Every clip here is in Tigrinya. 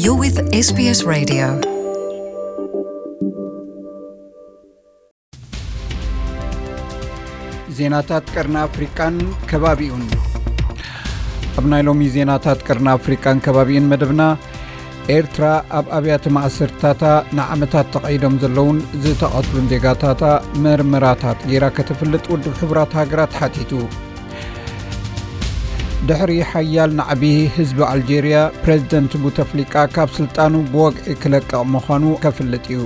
You're with S B S Radio. ዜናታት ቀርኒ ኣፍሪቃን ከባቢኡን። ኣብ ናይ ሎሚ ዜናታት ቀርኒ ኣፍሪቃን ከባቢኡን መደብና፣ ኤርትራ ኣብ ኣብያተ ማእሰርትታታ ንዓመታት ተቐይዶም ዘለውን ዝተቐትሉን ዜጋታታ መርመራታት ጌራ ከተፍልጥ ውድብ ሕቡራት ሃገራት ሓቲቱ። ድሕሪ ሓያል ናዕቢ ህዝቢ ኣልጄርያ፣ ፕረዚደንት ቡተፍሊቃ ካብ ስልጣኑ ብወግዒ ክለቅቕ ምዃኑ ከፍልጥ እዩ።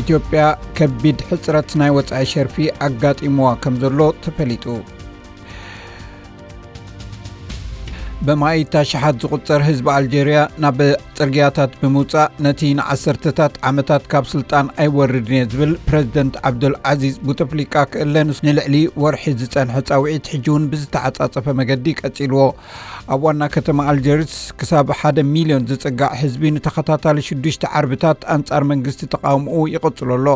ኢትዮጵያ ከቢድ ሕጽረት ናይ ወጻኢ ሸርፊ ኣጋጢምዋ ከም ዘሎ ተፈሊጡ። ብማኢት ኣሽሓት ዝቑጸር ህዝቢ ኣልጄርያ ናብ ጽርግያታት ብምውጻእ፣ ነቲ ንዓሰርተታት ዓመታት ካብ ስልጣን ኣይወርድን እየ ዝብል ፕረዚደንት ዓብዱል ዓዚዝ ቡተፍሊቃ ክእለ፣ ንልዕሊ ወርሒ ዝጸንሐ ጻውዒት ሕጂ እውን ብዝተዓጻጸፈ መገዲ ቀጺልዎ። ኣብ ዋና ከተማ ኣልጀርስ ክሳብ ሓደ ሚልዮን ዝጽጋዕ ህዝቢ ንተኸታታሊ ሽዱሽተ ዓርብታት ኣንጻር መንግስቲ ተቓውምኡ ይቕጽሎ ኣሎ።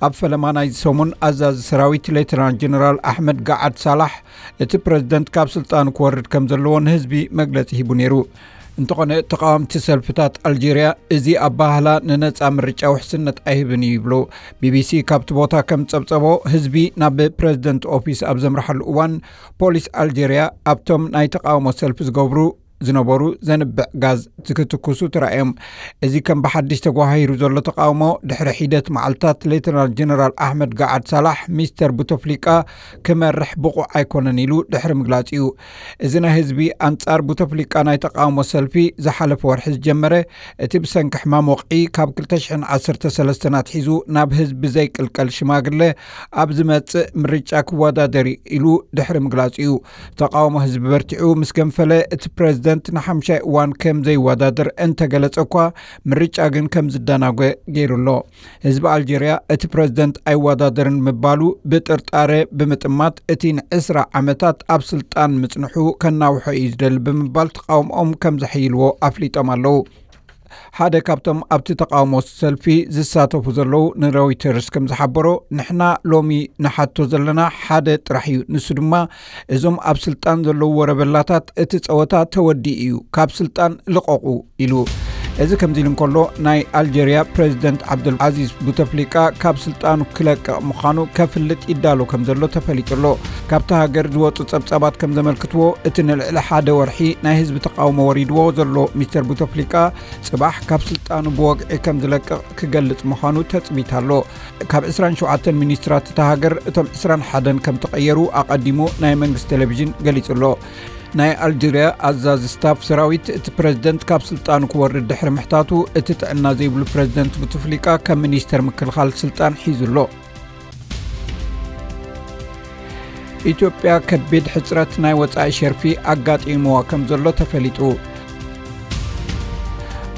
ኣብ ፈለማ ናይዚ ሰሙን፣ ኣዛዚ ሰራዊት ሌተናል ጀነራል ኣሕመድ ጋዓድ ሳላሕ፣ እቲ ፕረዚደንት ካብ ስልጣኑ ክወርድ ከም ዘለዎ ንህዝቢ መግለጺ ሂቡ ነይሩ። እንተኾነ፣ ተቓወምቲ ሰልፍታት ኣልጄርያ፣ እዚ ኣባህላ ንነጻ ምርጫ ውሕስነት ኣይህብን እዩ ይብሉ። ቢቢሲ ካብቲ ቦታ ከም ጸብጸቦ፣ ህዝቢ ናብ ፕረዚደንት ኦፊስ ኣብ ዘምርሓሉ እዋን፣ ፖሊስ ኣልጄርያ ኣብቶም ናይ ተቓውሞ ሰልፊ ዝገብሩ ዝነበሩ ዘንብዕ ጋዝ ዝክትኩሱ ተራእዮም። እዚ ከም ብሓድሽ ተጓሃሂሩ ዘሎ ተቓውሞ፣ ድሕሪ ሒደት መዓልታት ሌተናል ጀነራል ኣሕመድ ጋዓድ ሳላሕ፣ ሚስተር ቡተፍሊቃ ክመርሕ ብቑዕ ኣይኮነን ኢሉ ድሕሪ ምግላጹ እዩ። እዚ ናይ ህዝቢ ኣንጻር ቡተፍሊቃ ናይ ተቓውሞ ሰልፊ ዝሓለፈ ወርሒ ዝጀመረ፣ እቲ ብሰንኪ ሕማም ወቕዒ ካብ ክልተ ሽሕን ዓሰርተ ሰለስተን ኣትሒዙ ናብ ህዝቢ ዘይቅልቀል ሽማግለ ኣብ ዝመጽእ ምርጫ ክወዳደር እዩ ኢሉ ድሕሪ ምግላጹ እዩ። ተቓውሞ ህዝቢ በርቲዑ ምስ ገንፈለ፣ እቲ ፕረዚደንት ንሓምሻይ እዋን ከም ዘይወዳደር እንተገለጸ እኳ፣ ምርጫ ግን ከም ዝደናጎ ገይሩ ኣሎ። ህዝቢ ኣልጀርያ፣ እቲ ፕረዚደንት ኣይወዳደርን ምባሉ ብጥርጣረ ብምጥማት፣ እቲ ንዕስራ ዓመታት ኣብ ስልጣን ምጽንሑ ከናውሖ እዩ ዝደሊ ብምባል ተቓውሞኦም ከም ዘሐይልዎ ኣፍሊጦም ኣለዉ። ሓደ ካብቶም ኣብቲ ተቓውሞ ሰልፊ ዝሳተፉ ዘለዉ ንሮይተርስ ከም ዝሓበሮ፣ "ንሕና ሎሚ ንሓቶ ዘለና ሓደ ጥራሕ እዩ፣ ንሱ ድማ እዞም ኣብ ስልጣን ዘለዉ ወረበላታት እቲ ጸወታ ተወዲኡ እዩ፣ ካብ ስልጣን ልቐቑ" ኢሉ። እዚ ከምዚ ኢሉ እንከሎ፣ ናይ ኣልጀርያ ፕረዚደንት ዓብዱል ዓዚዝ ቡተፍሊቃ ካብ ስልጣኑ ክለቅቕ ምዃኑ ከፍልጥ ይዳሎ ከም ዘሎ ተፈሊጡ ኣሎ። ካብታ ሃገር ዝወጹ ጸብጻባት ከም ዘመልክትዎ፣ እቲ ንልዕሊ ሓደ ወርሒ ናይ ህዝቢ ተቓውሞ ወሪድዎ ዘሎ ሚስተር ቡተፍሊቃ፣ ጽባሕ ካብ ስልጣኑ ብወግዒ ከም ዝለቅቕ ክገልጽ ምዃኑ ተጽቢት ኣሎ። ካብ ዕስራን ሸውዓተን ሚኒስትራት እታ ሃገር፣ እቶም ዕስራን ሓደን ከም ተቐየሩ ኣቐዲሙ ናይ መንግስቲ ቴሌቪዥን ገሊጹ ኣሎ። ናይ ኣልጀርያ ኣዛዚ ስታፍ ሰራዊት፣ እቲ ፕረዚደንት ካብ ስልጣኑ ክወርድ ድሕሪ ምሕታቱ፣ እቲ ጥዕና ዘይብሉ ፕረዚደንት ቡትፍሊቃ ከም ሚኒስተር ምክልኻል ስልጣን ሒዙ ኣሎ። ኢትዮጵያ ከቢድ ሕጽረት ናይ ወጻኢ ሸርፊ ኣጋጢምዋ ከም ዘሎ ተፈሊጡ።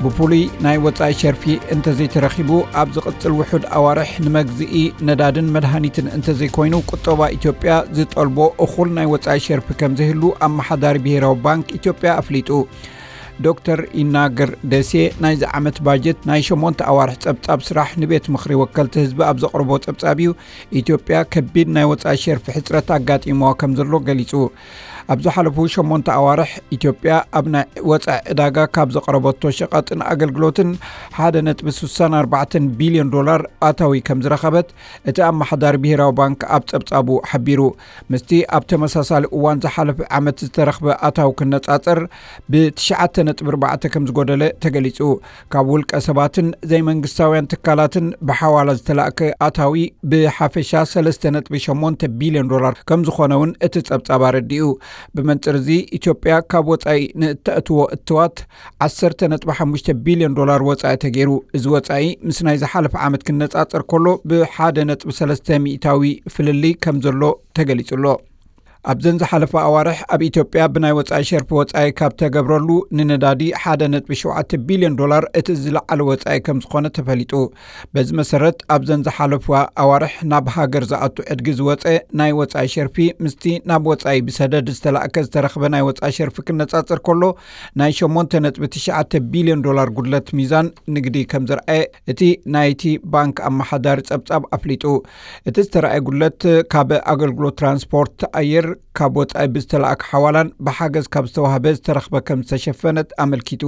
ብፍሉይ ናይ ወጻኢ ሸርፊ እንተዘይተረኺቡ፣ ኣብ ዝቕጽል ውሑድ ኣዋርሕ ንመግዝኢ ነዳድን መድሃኒትን እንተዘይኮይኑ፣ ቁጠባ ኢትዮጵያ ዝጠልቦ እኹል ናይ ወጻኢ ሸርፊ ከም ዘይህሉ ኣመሓዳሪ ብሄራዊ ባንክ ኢትዮጵያ ኣፍሊጡ። ዶክተር ይናገር ደሴ፣ ናይዚ ዓመት ባጀት ናይ ሸሞንተ ኣዋርሕ ጸብጻብ ስራሕ ንቤት ምኽሪ ወከልቲ ህዝቢ ኣብ ዘቕርቦ ጸብጻብ እዩ፣ ኢትዮጵያ ከቢድ ናይ ወጻኢ ሸርፊ ሕጽረት ኣጋጢምዋ ከም ዘሎ ገሊጹ። ኣብ ዝሓለፉ ሸሞንተ ኣዋርሕ፣ ኢትዮጵያ ኣብ ናይ ወጻኢ ዕዳጋ ካብ ዘቕረበቶ ሸቐጥን ኣገልግሎትን ሓደ ነጥቢ ስሳን ኣርባዕተን ቢልዮን ዶላር ኣታዊ ከም ዝረኸበት እቲ ኣመሓዳሪ ብሄራዊ ባንክ ኣብ ጸብጻቡ ሓቢሩ። ምስቲ ኣብ ተመሳሳሊ እዋን ዝሓለፈ ዓመት ዝተረኽበ ኣታዊ ክነጻጸር፣ ብትሽዓተ ነጥቢ ኣርባዕተ ከም ዝጎደለ ተገሊጹ። ካብ ውልቀ ሰባትን ዘይመንግስታውያን ትካላትን ብሓዋላ ዝተላእከ ኣታዊ ብሓፈሻ ሰለስተ ነጥቢ ሸሞንተ ቢልዮን ዶላር ከም ዝኾነ እውን እቲ ጸብጻብ ኣረዲኡ። ብመንጽር እዚ፣ ኢትዮጵያ ካብ ወጻኢ ንእተእትዎ እትዋት ዓሰርተ ነጥቢ ሓሙሽተ ቢልዮን ዶላር ወጻኢ ተገይሩ። እዚ ወጻኢ ምስ ናይ ዝሓለፈ ዓመት ክነጻጸር ከሎ፣ ብሓደ ነጥቢ ሰለስተ ሚእታዊ ፍልልይ ከም ዘሎ ተገሊጹ ኣሎ። ኣብዘን ዝሓለፋ ኣዋርሕ፣ ኣብ ኢትዮጵያ ብናይ ወጻኢ ሸርፊ ወጻኢ ካብ ተገብረሉ ንነዳዲ ሓደ ነጥቢ ሸውዓተ ቢልዮን ዶላር እቲ ዝለዓለ ወጻኢ ከም ዝኾነ ተፈሊጡ። በዚ መሰረት፣ ኣብዘን ዝሓለፋ ኣዋርሕ ናብ ሃገር ዝኣቱ ዕድጊ ዝወጸ ናይ ወጻኢ ሸርፊ ምስቲ ናብ ወጻኢ ብሰደድ ዝተላእከ ዝተረኽበ ናይ ወጻኢ ሸርፊ ክነጻጸር ከሎ፣ ናይ ሸሞንተ ነጥቢ ትሽዓተ ቢልዮን ዶላር ጉድለት ሚዛን ንግዲ ከም ዘርኣየ እቲ ናይቲ ባንክ ኣመሓዳሪ ጸብጻብ ኣፍሊጡ። እቲ ዝተረኣየ ጉድለት ካብ ኣገልግሎት ትራንስፖርት ኣየር፣ ካብ ወጻኢ ብዝተላእከ ሓዋላን ብሓገዝ ካብ ዝተዋህበ ዝተረኽበ ከም ዝተሸፈነት ኣመልኪቱ።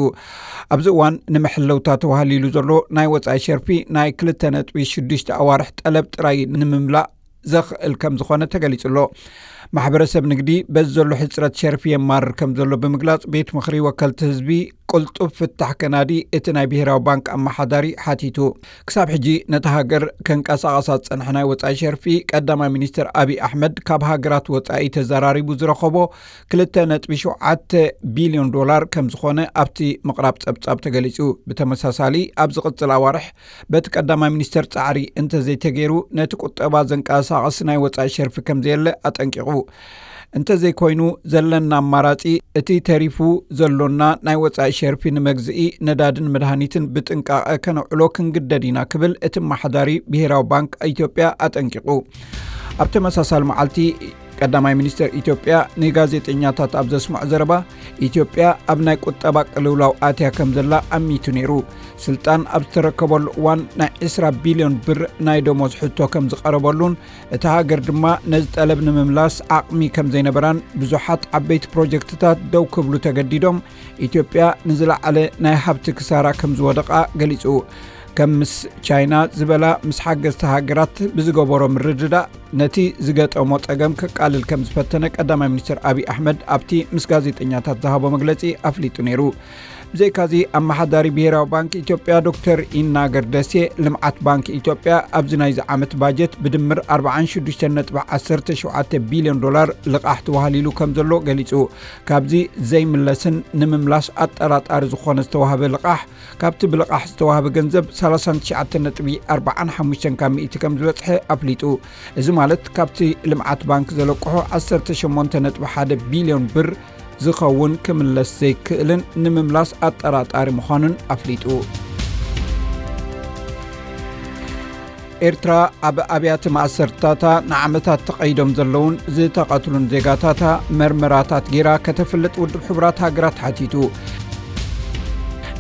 ኣብዚ እዋን ንምሕለውታ ተዋህሊሉ ዘሎ ናይ ወጻኢ ሸርፊ ናይ ክልተ ነጥቢ ሽዱሽተ ኣዋርሕ ጠለብ ጥራይ ንምምላእ ዘኽእል ከም ዝኾነ ተገሊጹ ኣሎ። ማሕበረሰብ ንግዲ በዚ ዘሎ ሕጽረት ሸርፊ የማርር ከም ዘሎ ብምግላጽ፣ ቤት ምኽሪ ወከልቲ ህዝቢ ቅልጡፍ ፍታሕ ከናዲ እቲ ናይ ብሄራዊ ባንክ ኣመሓዳሪ ሓቲቱ። ክሳብ ሕጂ ነታ ሃገር ከንቀሳቐሳ ዝጸንሐ ናይ ወጻኢ ሸርፊ ቀዳማይ ሚኒስትር ኣብይ ኣሕመድ ካብ ሃገራት ወጻኢ ተዘራሪቡ ዝረኸቦ ክልተ ነጥቢ ሸውዓተ ቢልዮን ዶላር ከም ዝኾነ ኣብቲ ምቕራብ ጸብጻብ ተገሊጹ። ብተመሳሳሊ ኣብ ዝቕጽል ኣዋርሕ በቲ ቀዳማይ ሚኒስተር ጻዕሪ እንተዘይተገይሩ ነቲ ቁጠባ ዘንቀሳቕስ ናይ ወጻኢ ሸርፊ ከም ዘየለ ኣጠንቂቑ። እንተዘይኮይኑ ዘለና ኣማራጺ እቲ ተሪፉ ዘሎና ናይ ወጻኢ ሸርፊ ንመግዝኢ ነዳድን መድሃኒትን ብጥንቃቐ ከነውዕሎ ክንግደድ ኢና ክብል እቲ ኣመሓዳሪ ብሄራዊ ባንክ ኢትዮጵያ ኣጠንቂቑ። ኣብ ተመሳሳሊ መዓልቲ ቀዳማይ ሚኒስተር ኢትዮጵያ ንጋዜጠኛታት ኣብ ዘስምዖ ዘረባ፣ ኢትዮጵያ ኣብ ናይ ቁጠባ ቅልውላው ኣትያ ከም ዘላ ኣሚቱ ነይሩ። ስልጣን ኣብ ዝተረከበሉ እዋን ናይ ዕስራ ቢልዮን ብር ናይ ደሞዝ ሕቶ ከም ዝቐረበሉን እታ ሃገር ድማ ነዚ ጠለብ ንምምላስ ዓቕሚ ከም ዘይነበራን ብዙሓት ዓበይቲ ፕሮጀክትታት ደው ክብሉ ተገዲዶም ኢትዮጵያ ንዝለዓለ ናይ ሃብቲ ክሳራ ከም ዝወደቓ ገሊጹ። ከም ምስ ቻይና ዝበላ ምስ ሓገዝቲ ሃገራት ብዝገበሮ ምርድዳእ ነቲ ዝገጠሞ ጸገም ከቃልል ከም ዝፈተነ ቀዳማይ ሚኒስትር ኣብይ ኣሕመድ ኣብቲ ምስ ጋዜጠኛታት ዝሃቦ መግለጺ ኣፍሊጡ ነይሩ። ብዘይካዚ ኣመሓዳሪ ብሄራዊ ባንክ ኢትዮጵያ ዶክተር ይናገር ደሴ ልምዓት ባንክ ኢትዮጵያ ኣብዚ ናይዚ ዓመት ባጀት ብድምር ኣርባዓን ሽዱሽተን ነጥቢ ዓሰርተ ሸውዓተ ቢልዮን ዶላር ልቓሕ ተዋህሊሉ ከም ዘሎ ገሊጹ። ካብዚ ዘይምለስን ንምምላስ ኣጠራጣሪ ዝኾነ ዝተዋህበ ልቓሕ ካብቲ ብልቓሕ ዝተዋህበ ገንዘብ ሰላሳን ትሽዓተን ነጥቢ ኣርባዓን ሓሙሽተን ካብ ሚእቲ ከም ዝበጽሐ ኣፍሊጡ። እዚ ማለት ካብቲ ልምዓት ባንክ ዘለቅሖ ዓሰርተ ሸሞንተ ነጥቢ ሓደ ቢልዮን ብር ዝኸውን ክምለስ ዘይክእልን ንምምላስ ኣጠራጣሪ ምዃኑን ኣፍሊጡ። ኤርትራ ኣብ ኣብያተ ማእሰርታታ ንዓመታት ተቐይዶም ዘለውን ዝተቐትሉን ዜጋታታ መርመራታት ጌራ ከተፍልጥ ውድብ ሕቡራት ሃገራት ሓቲቱ።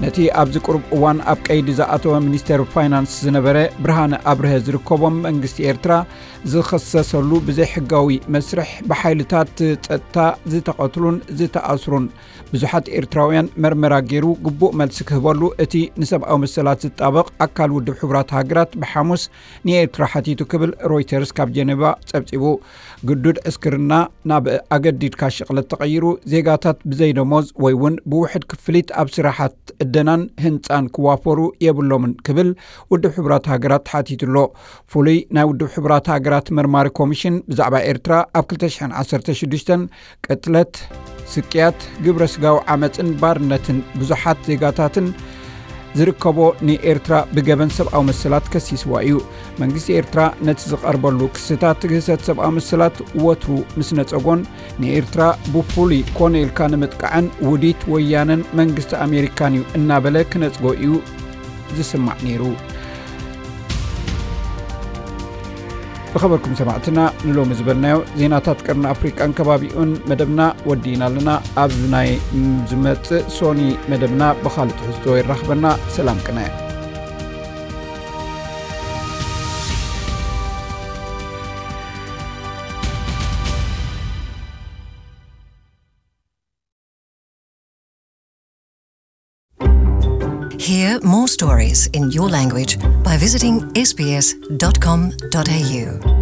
ነቲ ኣብዚ ቁሩብ እዋን ኣብ ቀይዲ ዝኣተወ ሚኒስተር ፋይናንስ ዝነበረ ብርሃነ ኣብርሀ ዝርከቦም መንግስቲ ኤርትራ ዝኸሰሰሉ ብዘይሕጋዊ መስርሕ ብሓይልታት ጸጥታ ዝተቐትሉን ዝተኣስሩን ብዙሓት ኤርትራውያን መርመራ ገይሩ ግቡእ መልሲ ክህበሉ እቲ ንሰብኣዊ መሰላት ዝጣበቕ ኣካል ውድብ ሕቡራት ሃገራት ብሓሙስ ንኤርትራ ሓቲቱ ክብል ሮይተርስ ካብ ጀኔቫ ጸብጺቡ። ግዱድ ዕስክርና ናብ ኣገዲድካ ሽቕለት ተቐይሩ፣ ዜጋታት ብዘይ ደሞዝ ወይ እውን ብውሕድ ክፍሊት ኣብ ስራሓት ዕደናን ህንጻን ክዋፈሩ የብሎምን ክብል ውድብ ሕቡራት ሃገራት ሓቲቱ ኣሎ። ፍሉይ ናይ ውድብ ሕቡራት ሃገራት መርማሪ ኮሚሽን ብዛዕባ ኤርትራ ኣብ ክልተ ሽሕን ዓሰርተ ሽዱሽተን ቅትለት፣ ስቅያት፣ ግብረ ስጋዊ ዓመጽን ባርነትን ብዙሓት ዜጋታትን ዝርከቦ ንኤርትራ ብገበን ሰብኣዊ መሰላት ከሲስዋ እዩ። መንግስቲ ኤርትራ ነቲ ዝቐርበሉ ክስታት ግህሰት ሰብኣዊ መሰላት ወትሩ ምስ ነጸጎን ንኤርትራ ብፍሉይ ኮነ ኢልካ ንምጥቃዕን ውዲት ወያነን መንግስቲ ኣሜሪካን እዩ እናበለ ክነጽጎ እዩ ዝስማዕ ነይሩ። ዝኸበርኩም ሰማዕትና፣ ንሎሚ ዝበልናዮ ዜናታት ቀርኒ ኣፍሪቃን ከባቢኡን መደብና ወዲእና ኣለና። ኣብ ናይ ዝመጽእ ሶኒ መደብና ብኻልእ ትሕዝቶ የራኽበና። ሰላም ቅነ። Hear more stories in your language by visiting S B S dot com dot A U.